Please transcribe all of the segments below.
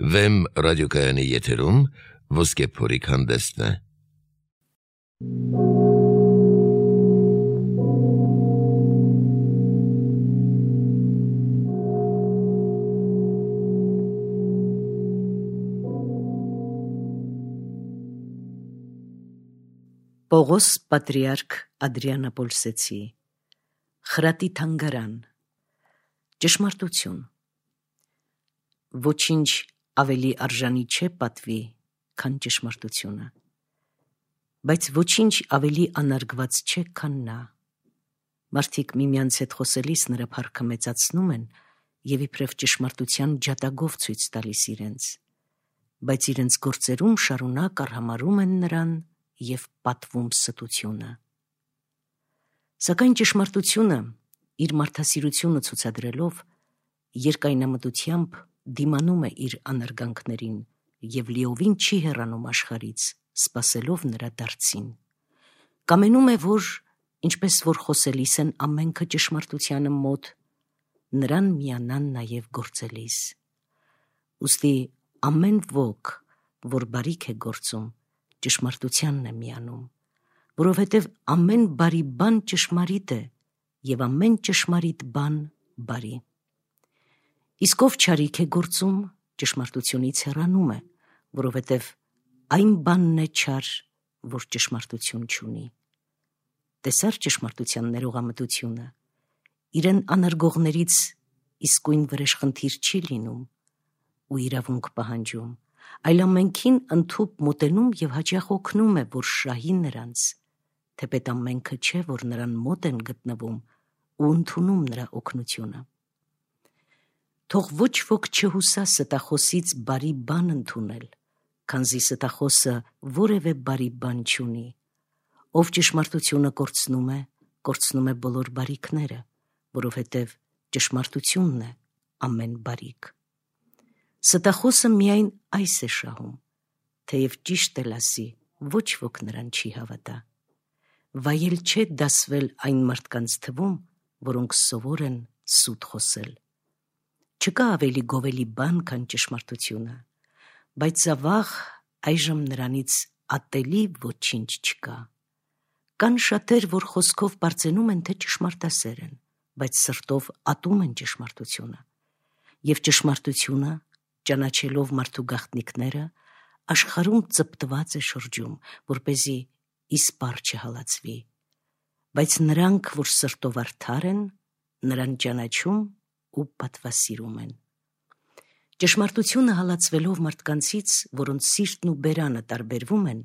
Վեմ ռադիոկայանի եթերում ոսկե փորիկ հանդեսն է։ Պողոս պատրիարք Ադրիանապոլսեցի խրատի թանգարան ճշմարտություն ոչինչ ավելի արժանի չէ պատվի, քան ճշմարտությունը, բայց ոչինչ ավելի անարգված չէ, քան նա։ Մարդիկ միմյանց հետ խոսելիս նրա փառքը մեծացնում են և իբրև ճշմարտության ջատագով ցույց տալիս իրենց, բայց իրենց գործերում շարունակ արհամարհում են նրան և պատվում ստությունը։ Սակայն ճշմարտությունը իր մարդասիրությունը ցուցադրելով երկայնամտությամբ դիմանում է իր անարգանքներին և լիովին չի հեռանում աշխարհից, սպասելով նրա դարձին։ Կամենում է, որ ինչպես որ խոսելիս են ամենքը ճշմարտությանը մոտ, նրան միանան նաև գործելիս։ Ուստի ամեն ոք, որ բարիք է գործում, ճշմարտությանն է միանում, որովհետև ամեն բարի բան ճշմարիտ է և ամեն ճշմարիտ բան բարի։ Իսկ ով չարիք է գործում, ճշմարտությունից հեռանում է, որովհետև այն բանն է չար, որ ճշմարտություն չունի։ Տեսա՞ր ճշմարտության ներողամտությունը, իրեն անարգողներից իսկույն վրեժխնդիր չի լինում ու իրավունք պահանջում, այլ ամենքին ընդհուպ մոտենում և հաճախ օգնում է, որ շահի նրանց, թեպետ ամենքը չէ, որ նրան մոտ են գտնվում ու ընդունում նրա օգնությունը։ Թող ոչ ոք չհուսա ստախոսից բարի բան ընդունել, քանզի ստախոսը որևէ բարի բան չունի։ Ով ճշմարտությունը կորցնում է բոլոր բարիքները, որովհետև ճշմարտությունն է ամեն բարիք։ Ստախոսը միայն այս է շահում, թեև ճիշտ էլ ասի, ոչ ոք նրան չի հավատա։ Վայել չէ դասվել այն մարդկանց թվում, որոնք սովոր են սուտ խոսել։ Չկա ավելի գովելի բան, քան ճշմարտությունը, բայց ավաղ այժմ նրանից ատելի ոչինչ չկա։ Կան շատեր, որ խոսքով պարծենում են, թե ճշմարտասեր են, բայց սրտով ատում են ճշմարտությունը։ Եվ ճշմարտությունը, ճանաչելով մարդու գաղտնիքները, աշխարհում ծպտված է շրջում, որպեսզի իսպառ չհալածվի։ Բայց նրանք, որ սրտով արդար են, նրան ճանաչում ու պատվասիրում են։ Ճշմարտությունը հալածվելով մարդկանցից, որոնց սիրտն ու բերանը տարբերվում են,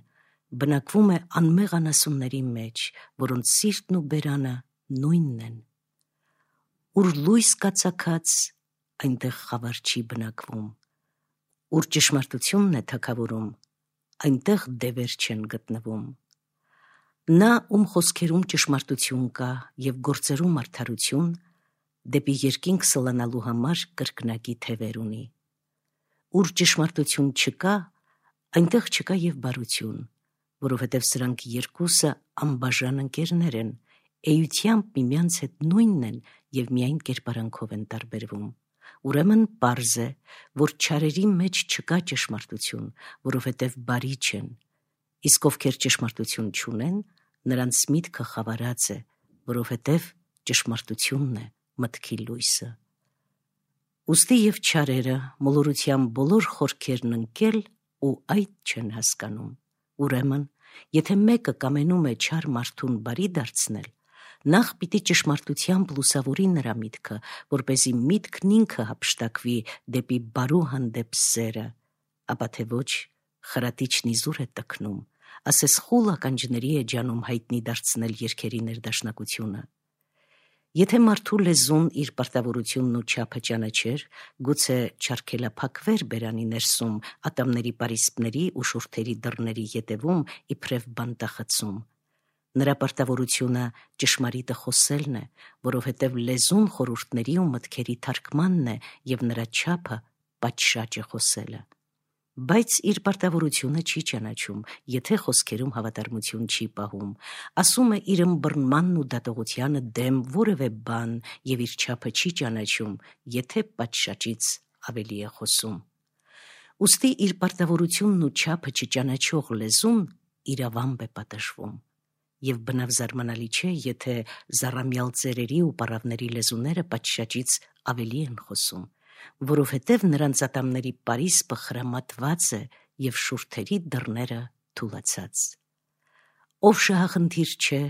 բնակվում է անմեղ անասունների մեջ, որոնց սիրտն ու բերանը նույնն են։ Ուր լույս կա ծագած, այնտեղ խավար չի բնակվում։ Ուր ճշմարտությունն է թագավորում, այնտեղ դևեր չեն գտնվում։ Նա, ում խոսքերում ճշմարտություն կա և գործերում արդարություն, դեպի երկինք սլանալու համար կրկնակի թևեր ունի։ Ուր ճշմարտություն չկա, այնտեղ չկա և բարություն, որովհետև սրանք երկուսը անբաժան ընկերներ են, էությամբ միմյանց հետ նույնն են և միայն կերպարանքով են տարբերվում։ Ուրեմն պարզ է, որ չարերի մեջ չկա ճշմարտություն, որովհետև բարի չեն, իսկ ովքեր ճշմարտություն չունեն, նրանց միտքը խավարած է, որովհետև ճշմարտությունն է մտքի լույսը։ Ուստի և չարերը մոլորության բոլոր խորքերն ընկել ու այդ չեն հասկանում։ Ուրեմն, եթե մեկը կամենում է չար մարդուն բարի դարձնել, նախ պիտի ճշմարտությամբ լուսավորի նրա միտքը, որպեսզի միտքն ինքը հափշտակվի դեպի բարու հանդեպ սերը, ապա թե ոչ, խրատիչն իզուր է տքնում, ասես խուլ ականջների է ջանում հայտնի դարձնել երգերի ներդաշնակությունը։ Եթե մարդու լեզուն իր պարտավորությունն ու չափը ճանաչեր, գուցե չարգելափակվեր բերանի ներսում ատամների պարիսպների ու շուրթերի դռների ետևում իբրև բանտախցում։ Նրա պարտավորությունը ճշմարիտը խոսելն է, որովհետև լեզուն խորհուրդների ու մտքերի թարգմանն է և նրա չափը պատշաճ է խոսելը։ Բայց իր պարտավորությունը չի ճանաչում, եթե խոսքերում հավատարմություն չի պահում, ասում է իր ըմբռնմանն ու դատողությանը դեմ որևէ բան և իր չափը չի ճանաչում, եթե պատշաճից ավելի է խոսում։ Ուստի իր պարտավորությունն ու չափը չճանաչող լեզուն իրավամբ է պատժվում, եւ բնավ զարմանալի չէ, եթե զառամյալ ծերերի ու պարավների լեզուները պատշաճից ավելի են խոսում, որովհետև նրանց ատամների պարիսպը խրամատված է եւ շուրթերի դռները թուլացած։ Ով շահախնդիր չէ,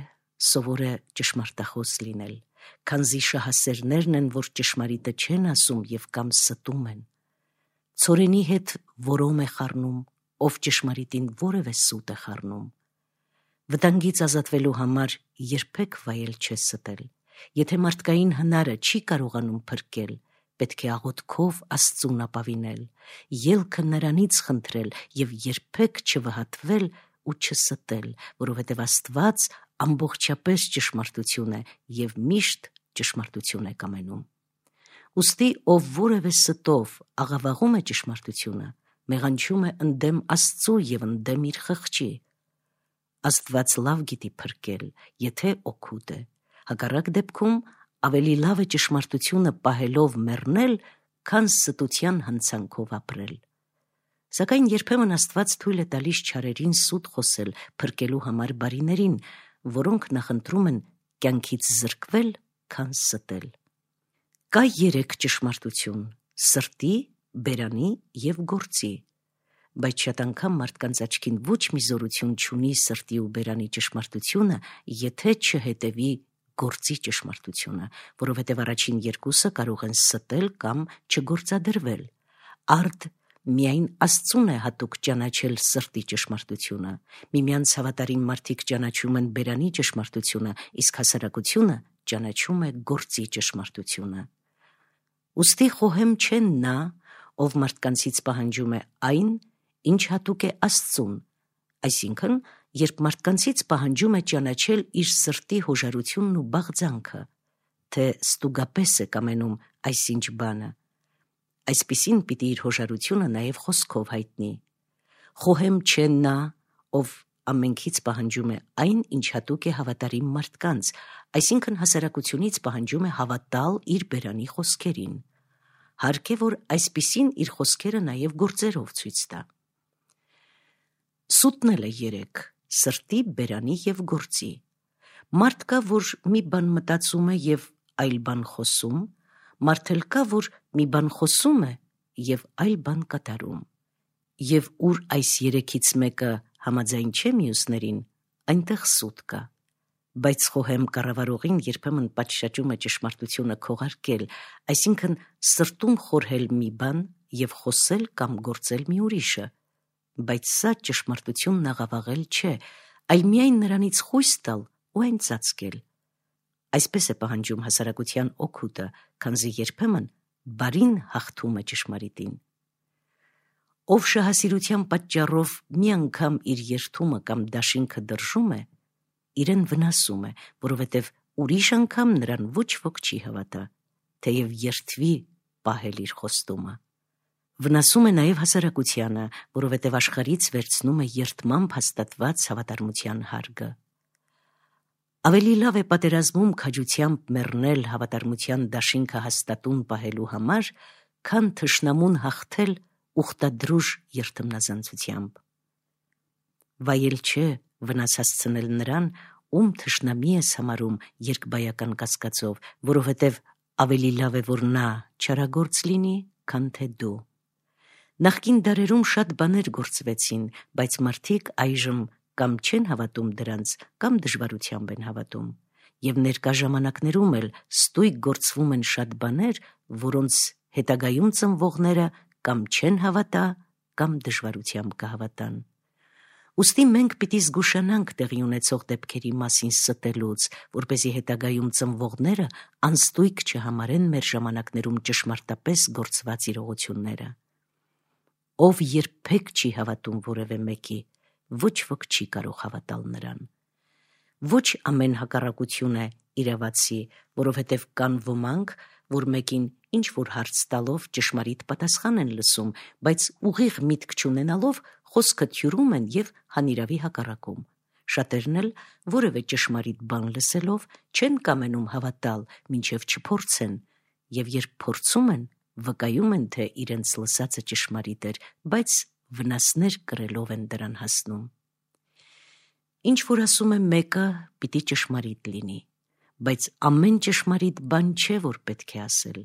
սովոր է ճշմարտախոս լինել, քանզի շահասերներն են, որ ճշմարիտը չեն ասում եւ կամ ստում են։ Ցորենի հետ որոմ է խառնում, ով ճշմարիտին որևէ սուտ է խառնում։ Վտանգից ազատվելու համար երբեք վայել չէ ստել։ Եթե մարդկային հնարը չի կարողանում փրկել, պետք է աղոթքով Աստծուն ապավինել, ելքը նրանից խնդրել եւ երբեք չվհատվել ու չստել, որովհետև Աստված ամբողջապես ճշմարտություն է եւ միշտ ճշմարտություն է կամենում։ Ուստի ով որևէ ստով աղավաղում է ճշմարտությունը, մեղանչում է ընդդեմ Աստծու եւ ընդդեմ իր խղճի։ Աստված լավ գիտի փրկել, եթե օգուտ է։ Հակառակ դեպքում ավելի լավ է ճշմարտությունը պահելով մեռնել, քան ստության հնցանքով ապրել։ Սակայն երբեմն Աստված թույլ է տալիս չարերին սուտ խոսել փրկելու համար բարիներին, որոնք նախընտրում են կյանքից զրկվել, քան ստել։ Կա 3 ճշմարտություն՝ սրտի, բերանի եւ գործի, բայց շատ անգամ մարդկանց աչքին ոչ մի զորություն չունի սրտի ու բերանի ճշմարտությունը, եթե չհետևի գործի ճշմարտությունը, որովհետև առաջին երկուսը կարող են ստել կամ չգործադրվել։ Արդ միայն Աստծուն է հատուկ ճանաչել սրտի ճշմարտությունը, միմյանց հավատարիմ մարդիկ ճանաչում են բերանի ճշմարտությունը, իսկ հասարակությունը ճանաչում է գործի ճշմարտությունը։ Ուստի խոհեմ չէ նա, ով մարդկանցից պահանջում է այն, ինչ հատուկ է Աստծուն, այսինքն, երբ մարդկանցից պահանջում է ճանաչել իր սրտի հոժարությունն ու բաղձանքը, թե ստուգապես է կամենում այսինչ բանը, այսպիսին պիտի իր հոժարությունը նաև խոսքով հայտնի։ Խոհեմ չէ նա, ով ամենքից պահանջում է այն, ինչ հատուկ է հավատարիմ մարդկանց, այսինքն հասարակությունից պահանջում է հավատալ իր բերանի խոսքերին։ Հարկ է, որ այսպիսին իր խոսքերը նաև գործերով ցույց տա։ Սուտն էլ է 3. Սրտի, բերանի եւ գործի։ Մարդ կա, որ մի բան մտածում է եւ այլ բան խոսում, մարդ էլ կա, որ մի բան խոսում է եւ այլ բան կատարում։ Եվ ուր այս 3-ից մեկը համաձայն չէ մյուսներին, այնտեղ սուտ կա։ Բայց խոհեմ կառավարողին երբեմն պատշաճում է ճշմարտությունը քողարկել, այսինքն սրտում խորհել մի բան եւ խոսել կամ գործել մի ուրիշը, բայց սա ճշմարտությունն աղավաղել չէ, այլ միայն նրանից խույս տալ ու այն ծածկել։ Այսպես է պահանջում հասարակության օգուտը, քանզի երբեմն բարին հաղթում է ճշմարիտին։ Ով շահասիրության պատճառով մի անգամ իր երթումը կամ դաշինքը դրժում է, իրեն վնասում է, որովհետև ուրիշ անգամ նրան ոչ ոք չի հավատա, թեև երթվի պահել իր խոստումը։ Վնասում է նաև հասարակությանը, որովհետև աշխարհից վերցնում է երդմամբ հաստատված հավատարմության հարգը։ Ավելի լավ է պատերազմում քաջությամբ մեռնել հավատարմության դաշինքը հաստատուն պահելու համար, քան թշնամուն հաղթել ուխտադրուժ երթմնազանցությամբ։ Վայել չէ վնաս հասցնել նրան, ում թշնամի ես համարում երկբայական կասկածով, որովհետև ավելի լավ է, որ նա չարագործ լինի, քան թե դու։ Նախկին դարերում շատ բաներ գործվեցին, բայց մարդիկ այժմ կամ չեն հավատում դրանց, կամ դժվարությամբ են հավատում, եւ ներկա ժամանակներում էլ ստույգ գործվում են շատ բաներ, որոնց հետագայում ծնվողները կամ չեն հավատա, կամ դժվարությամբ կհավատան։ Ուստի մենք պիտի զգուշանանք տեղի ունեցող դեպքերի մասին ստելուց, որպեսզի հետագայում ծնվողները անստույգ չհամարեն մեր ժամանակներում ճշմարտապես գործված իրողությունները։ Ով երբեք չի հավատում որևէ մեկի, ոչ ոք չի կարող հավատալ նրան։ Ոչ ամեն հակառակություն է իրավացի, որովհետև կան ոմանք, որ մեկին ինչ որ հարց տալով ճշմարիտ պատասխան են լսում, բայց ուղիղ միտք չունենալով խոսքը թյուրում են եւ հանիրավի հակառակում։ Շատերն էլ որևէ ճշմարիտ բան լսելով չեն կամենում հավատալ, մինչև չփորձեն, եւ երբ փորձում են, վկայում են, թե իրենց լսածը ճշմարիտ էր, բայց վնասներ կրելով են դրան հասնում։ Ինչ որ ասում է մեկը, պիտի ճշմարիտ լինի, բայց ամեն ճշմարիտ բան չէ, որ պետք է ասել։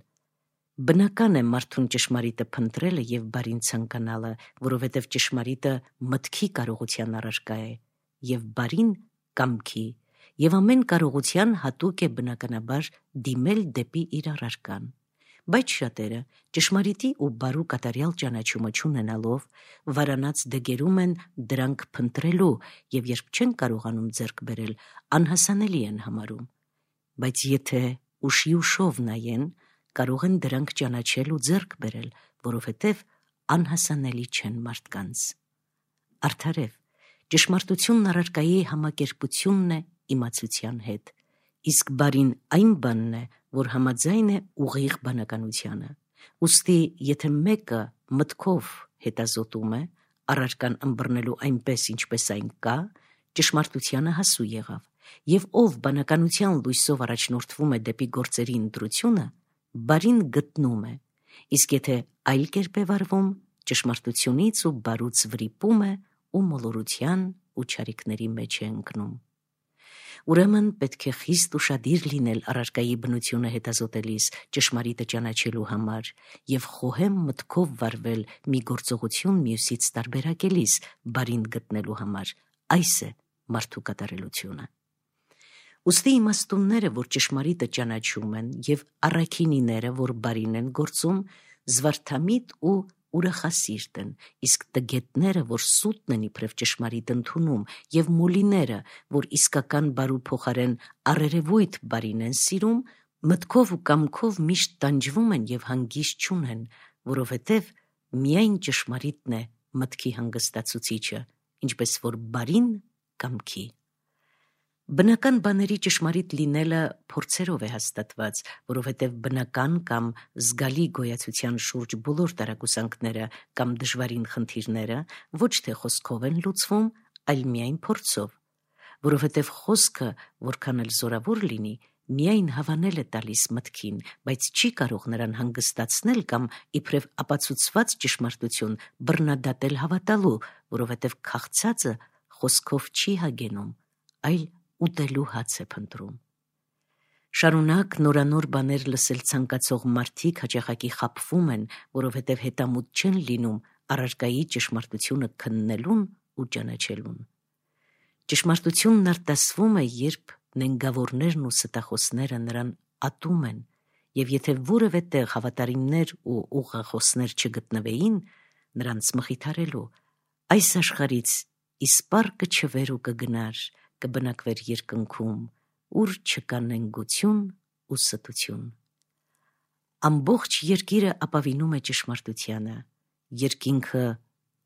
Բնական է մարդուն ճշմարիտը փնտրելը եւ բարին ցանկանալը, որովհետեւ ճշմարիտը մտքի կարողության առարկա է, եւ բարին կամքի, եւ ամեն կարողության հատուկ է բնականաբար դիմել դեպի իր առարկան։ Բայց շատերը ճշմարիտի ու բարու կատարյալ ճանաչումը չունենալով վարանած դգերում են դրանք փնտրելու եւ երբ չեն կարողանում ձեռք բերել, անհասանելի են համարում։ Բայց եթե ուշիուշով նայեն, կարող են դրանք ճանաչել ու ձեռք բերել, որովհետև անհասանելի չեն մարդկանց։ Արդարև, ճշմարտությունն առարկայի համակերպությունն է իմացության հետ, իսկ բարին այն բանն է, որ համաձայն է ուղիղ բանականությանը։ Ուստի, եթե մեկը մտքով հետազոտում է, առարկան ըմբռնելու այնպես, ինչպես այն կա, ճշմարտությանը հասու եղավ, եւ ով բանականության լույսով առաջնորդվում է դեպի գործերի ընտրությունը, բարին գտնում է, իսկ եթե այլ կերպ է վարվում, ճշմարտությունից ու բարուց վրիպում է ու մոլորության ու չարիքների մեջ է ընկնում։ Ուրեմն պետք է խիստ ուշադիր լինել առարկայի բնությունը հետազոտելիս, ճշմարիտը ճանաչելու համար եւ խոհեմ մտքով վարվել մի գործողություն մյուսից տարբերակելիս բարին գտնելու համար։ Այս է մարդու կատարելությունը։ Ուստի իմաստունները, որ ճշմարիտը ճանաչում են, եւ առաքինիները, որ բարին են գործում, զվարթամիտ ու ուրախասիրտ են, իսկ տգետները, որ սուտն են իբրև ճշմարիտ ընդունում, եւ մոլիները, որ իսկական բարու փոխարեն առերևույթ բարին են սիրում, մտքով ու կամքով միշտ տանջվում են եւ հանգիստ չունեն, որովհետեւ միայն ճշմարիտն է մտքի հանգստացուցիչը, ինչպես որ բարին կամքի։ Բնական բաների ճշմարիտ լինելը փորձերով է հաստատված, որովհետև բնական կամ զգալի գոյացության շուրջ բոլոր տարակուսանքները կամ դժվարին խնդիրները ոչ թե խոսքով են լուծվում, այլ միայն փորձով, որովհետև խոսքը, որքան էլ զորավոր լինի, միայն հավանել է տալիս մտքին, բայց չի կարող նրան հանգստացնել կամ իբրև ապացուցված ճշմարտություն բռնադատել հավատալու, որովհետև քաղցածը խոսքով չի հագենում, այլ ուտելու հաց է փնտրում։ Շարունակ նորանոր բաներ լսել ցանկացող մարդիկ հաճախակի խաբվում են, որովհետև հետամուտ չեն լինում առարկայի ճշմարտությունը քննելուն ու ճանաչելուն։ Ճշմարտությունն արտասվում է, երբ նենգավորներն ու ստախոսները նրան ատում են, եւ եթե որևէ տեղ հավատարիմներ ու ուղղախոսներ չգտնվեին նրանց մխիթարելու, այս աշխարհից իսպառ կչվեր ու կգնար, կբնակվեր երկնքում, ուր չկա նենգություն ու ստություն։ Ամբողջ երկիրը ապավինում է ճշմարտությանը, երկինքը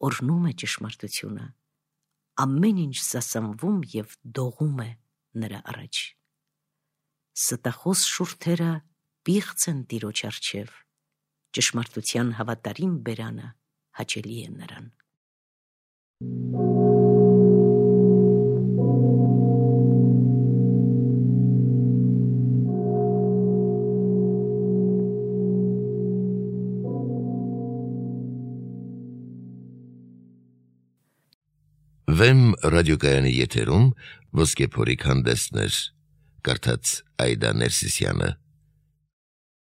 օրհնում է ճշմարտությունը, ամեն ինչ սասանվում եւ դողում է նրա առաջ։ Ստախոս շուրթերը պիղծ են Տիրոջ առջև, ճշմարտության հավատարիմ բերանը հաճելի է նրան։ Վեմ ռադիոկայանի եթերում Ոսկե փորիկ հանդեսներ, կարդաց Այդա Ներսիսյանը։